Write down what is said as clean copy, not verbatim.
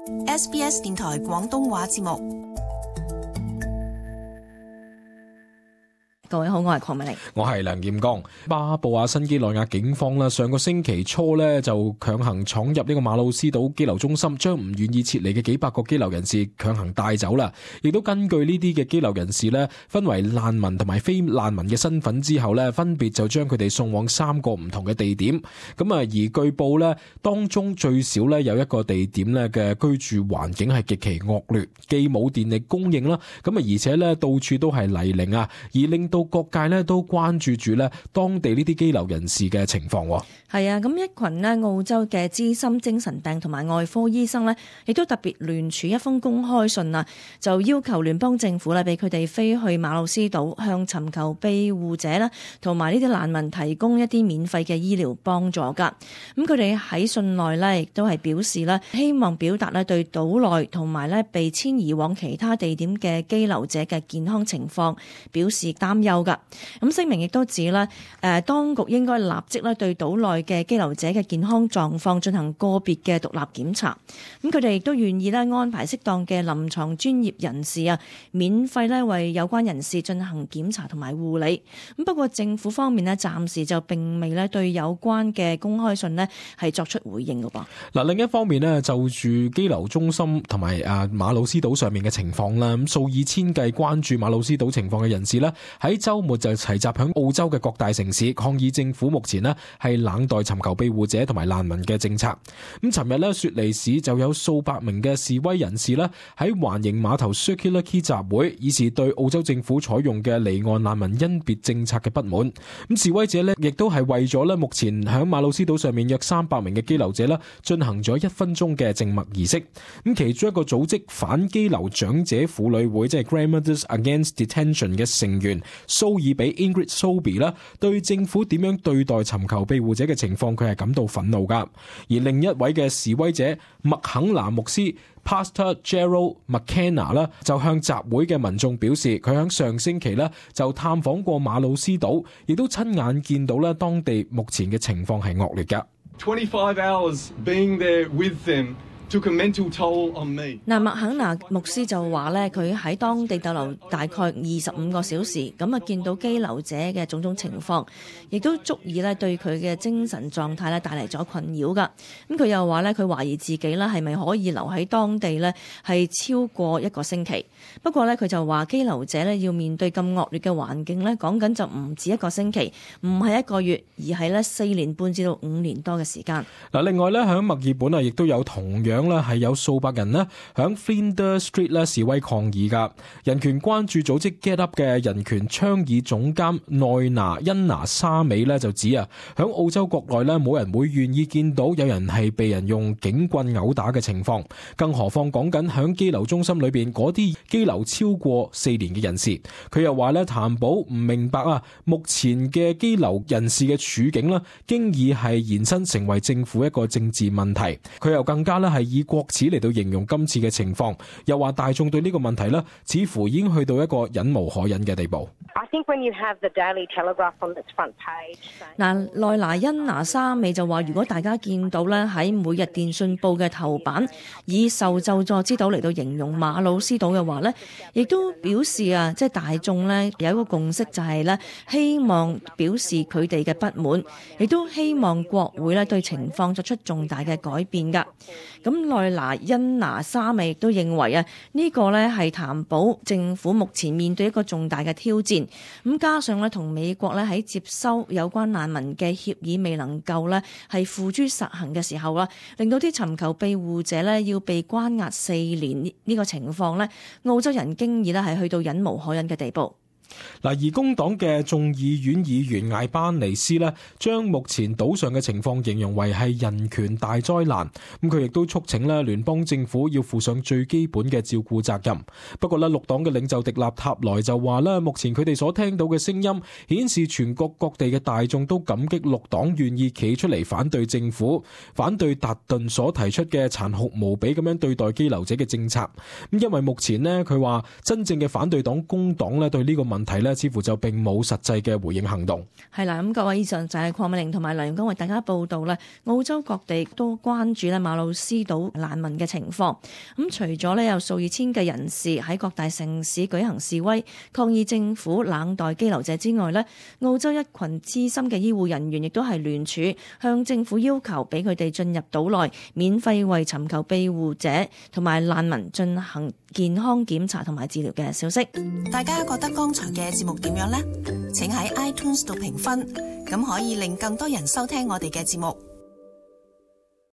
SBS 電台廣東話節目。各位好，我係鄺美玲，我係梁劍剛。巴布亞新幾內亞警方啦，上個星期初咧就強行闖入呢個馬魯斯島羈留中心，將唔願意撤離嘅幾百個羈留人士強行帶走啦。亦都根據呢啲嘅羈留人士咧，分為難民同埋非難民嘅身份之後咧，分別就將佢哋送往3個唔同嘅地點。咁啊，而據報咧，當中最少咧有一個地點咧嘅居住環境係極其惡劣，既冇電力供應啦，咁啊而且咧到處都係泥濘啊，而令到各界咧都關注住咧當地呢啲羈留人士嘅情況。係啊，咁一群咧澳洲嘅資深精神病同埋外科醫生咧，亦都特別聯署一封公開信啊，就要求聯邦政府咧俾佢哋飛去馬魯斯島，向尋求庇護者啦同埋呢啲難民提供一啲免費嘅醫療幫助噶。咁佢哋喺信內咧亦都係表示咧，希望表達咧對島內同埋咧被遷移往其他地點嘅羈留者嘅健康情況表示擔憂噶。咁聲明亦都指咧，當局應該立即咧對島內嘅羈留者嘅健康狀況進行個別嘅獨立檢查。咁佢哋亦都願意咧安排適當嘅臨床專業人士啊，免費咧為有關人士進行檢查同埋護理。咁不過政府方面咧暫時就並未咧對有關嘅公開信咧係作出回應㗎噃。嗱，另一方面咧就住羈留中心同埋馬魯斯島上面嘅情況啦，咁數以千計關注馬魯斯島情況嘅人士咧喺週末就齊集響澳洲嘅各大城市抗議政府目前呢係冷待尋求庇護者同埋難民嘅政策。咁尋日呢，雪梨市就有數百名嘅示威人士呢喺環形碼頭 Circular Quay 集會，以示對澳洲政府採用嘅離岸難民甄別政策嘅不滿。咁示威者呢亦都係為咗呢目前響馬魯斯島上面約300名嘅羈留者呢進行咗1分鐘嘅靜默儀式。咁其中一個組織反羈留長者婦女會，即係 Grandmothers Against Detention 嘅成員蘇爾比 Ingrid Sobey 啦，對政府點樣對待尋求庇護者嘅情況，佢係感到憤怒噶。而另一位嘅示威者麥肯拿牧師 Pastor Gerald McKenna 啦，就向集會嘅民眾表示，佢響上星期咧就探訪過馬魯斯島，亦都親眼見到咧當地目前嘅情況係惡劣噶。25 hours being there with them took a mental toll on me。麥肯拿牧師就話咧，佢喺當地逗留大概25個小時，咁啊見到羈留者嘅種種情況，亦都足以咧對佢嘅精神狀態咧帶嚟咗困擾噶。咁佢又話咧，佢懷疑自己咧係咪可以留喺當地咧係超過1個星期。不過咧，佢就話羈留者咧要面對咁惡劣嘅環境咧，講緊就唔止1個星期，唔係1個月，而係咧4年半至到5年多嘅時間。嗱，另外咧喺墨爾本啊，亦都有同樣咧係有數百人咧響 Flinders Street 咧示威抗議噶。人權關注組織 Get Up 嘅人權倡議總監內拿恩拿沙美咧就指啊，響澳洲國內咧冇人會願意見到有人係被人用警棍毆打嘅情況，更何況講緊響羈留中心裏邊嗰啲羈留超過4年嘅人士。佢又話咧，譚寶唔明白啊，目前嘅羈留人士嘅處境咧，經已係延伸成為政府一個政治問題。佢又更加咧係以國恥嚟到形容今次嘅情況，又話大眾對呢個問題咧，似乎已經去到一個忍無可忍嘅地步。嗱，內拿恩拿沙美就話，如果大家見到咧喺每日電訊報嘅頭版以受咒詛之島嚟到形容馬魯斯島嘅話咧，亦都表示啊，即係大眾咧有一個共識，就係咧希望表示佢哋嘅不滿，亦都希望國會咧對情況作出重大嘅改變噶。咁內拿恩拿沙美亦都認為啊，呢個咧係譚寶政府目前面對一個重大嘅挑戰。咁加上咧同美國咧喺接收有關難民嘅協議未能夠咧係付諸實行嘅時候啦，令到啲尋求庇護者咧要被關押4年呢個情況咧，澳洲人經已咧係去到忍無可忍嘅地步。嗱，而工黨嘅眾議院議員艾班尼斯呢，將目前島上嘅情況形容為係人權大災難。咁佢亦都促請呢聯邦政府要負上最基本嘅照顧責任。不過呢，綠黨嘅領袖迪納塔萊就話呢，目前佢哋所聽到嘅聲音顯示全國各地嘅大眾都感激綠黨願意企出嚟反對政府，反對達頓所提出嘅殘酷無比咁樣對待羈留者嘅政策。咁因為目前呢，佢話真正嘅反對黨工黨呢對呢個問問題呢，似乎就並冇實際嘅回應行動。係啦，咁各位，以上就係鄺美玲同埋梁永江為大家報道咧，澳洲各地都關注咧馬魯斯島難民嘅情況。咁除咗咧有數以千計人士喺各大城市舉行示威，抗議政府冷待羈留者之外咧，澳洲一群資深嘅醫護人員亦都係聯署向政府要求俾佢哋進入島內，免費為尋求庇護者同埋難民進行健康檢查同埋治療嘅消息。大家覺得剛才嘅節目點樣呢？請喺 iTunes 度評分，咁可以令更多人收聽我哋嘅節目。